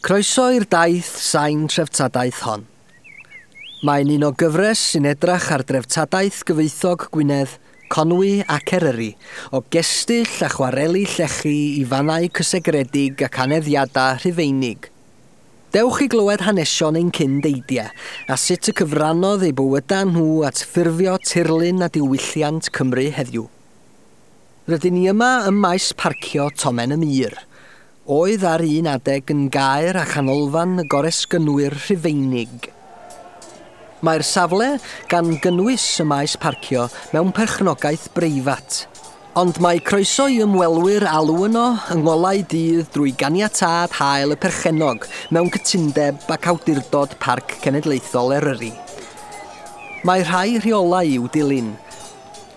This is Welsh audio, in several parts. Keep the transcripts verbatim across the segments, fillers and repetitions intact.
Croeso i'r daith sain treftadaeth hon. Mae'n un o gyfres sy'n edrach ar dreftadaeth gyfoethog Gwynedd, Conwy ac Eryri, o gestyll a chwareli llechi i fannau cysegredig ac aneddiadau Rhufeinig. Dewch i glywed hanesion ein cyndeidiau a sut y cyfrannodd eu bywydau nhw at ffurfio tirlun a diwylliant Cymru heddiw. Rydyn ni yma ym maes parcio Tomen y Mur, oedd ar un adeg yn gaer a chanolfan y goresgynwyr Rhufeinig. Mae'r safle gan gynnwys y maes parcio mewn perchnogaeth breifat, ond mae croeso i ymwelwyr alw yno yng ngolau dydd drwy ganiatâd hael y perchennog mewn cytundeb ac awdurdod Parc Cenedlaethol Eryri. Mae rhai rheolau i'w dilyn.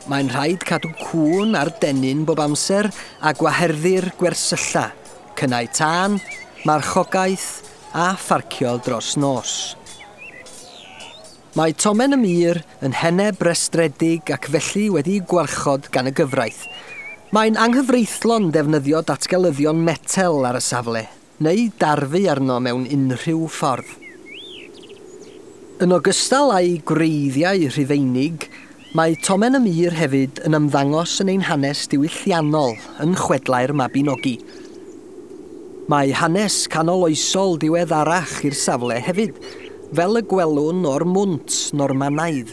Mae'n rhaid cadw cŵn ar dennyn bob amser a gwaherddir gwersylla, cynnau tân, marchogaeth a pharcio dros nos. Mae Tomen y Mur yn heneb restredig ac felly wedi'i gwarchod gan y gyfraith. Mae'n anghyfreithlon defnyddio datgelyddion metel ar y safle, neu darfu arno mewn unrhyw ffordd. Yn ogystal â'i gwreiddiau Rhufeinig, mae Tomen y Mur hefyd yn ymddangos yn ein hanes diwylliannol yn chwedlau'r Mabinogi. Mae hanes canoloesol diweddarach i'r safle hefyd, fel y gwelwn o'r mwnt Normanaidd.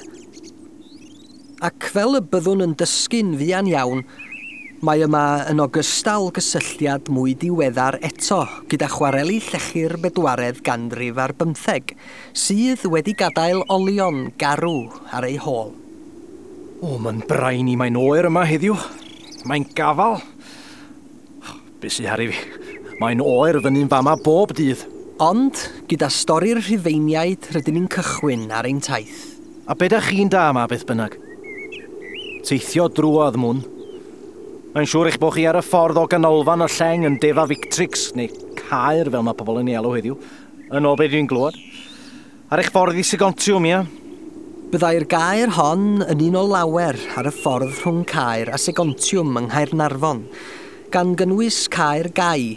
Ac fel y byddwn yn dysgu'n fuan iawn, mae yma yn ogystal gysylltiad mwy diweddar eto gyda chwareli llechi'r bedwaredd ganrif ar bymtheg, sydd wedi gadael olion garw ar ei hôl. O, mae'n brain i, mae'n oer yma heddiw. Mae'n gafal. Be sy ar i fi? Mae'n oer fyny'n fama bob dydd. Ond, gyda stori'r Rhufeiniaid, rydyn ni'n cychwyn ar ein taith. A be dach chi'n da yma beth bynnag? Teithio drwodd mwyn. Mae'n siŵr eich bod chi ar y ffordd o ganolfan y lleng yn Deva Victrix, neu Caer fel mae pobl yn ei alw heddiw, yn ôl be dwi'n glywed. Ar eich ffordd i Segontiwm, ia? Byddai'r gaer hon yn un o lawer ar y ffordd rhwng Caer a Segontiwm yng Nghaernarfon, gan gynnwys Caer Gai,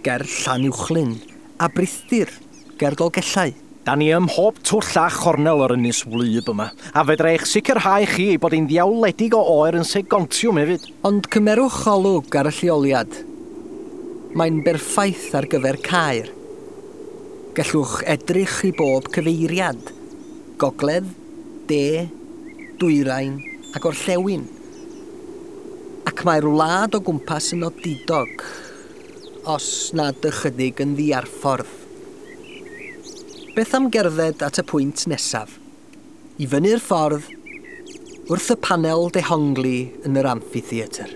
ger Llanuwchllyn, a Brithdir, ger Dolgellau. Da ni ym mhob twll a chornel o'r ynys wlyb yma, a fedra eich sicrhau chi ei bod hi'n ddiawledig o oer yn Segontiwm hefyd. Ond cymerwch olwg ar y lleoliad. Mae'n berffaith ar gyfer caer. Gallwch edrych i bob cyfeiriad. Gogledd, de, dwyrain a gorllewin. Ac mae'r wlad o gwmpas yn odidog, os nad ychydig yn ddiarffordd. Beth am gerdded at y pwynt nesaf? I fyny'r ffordd, wrth y panel dehongli yn yr amphitheatr.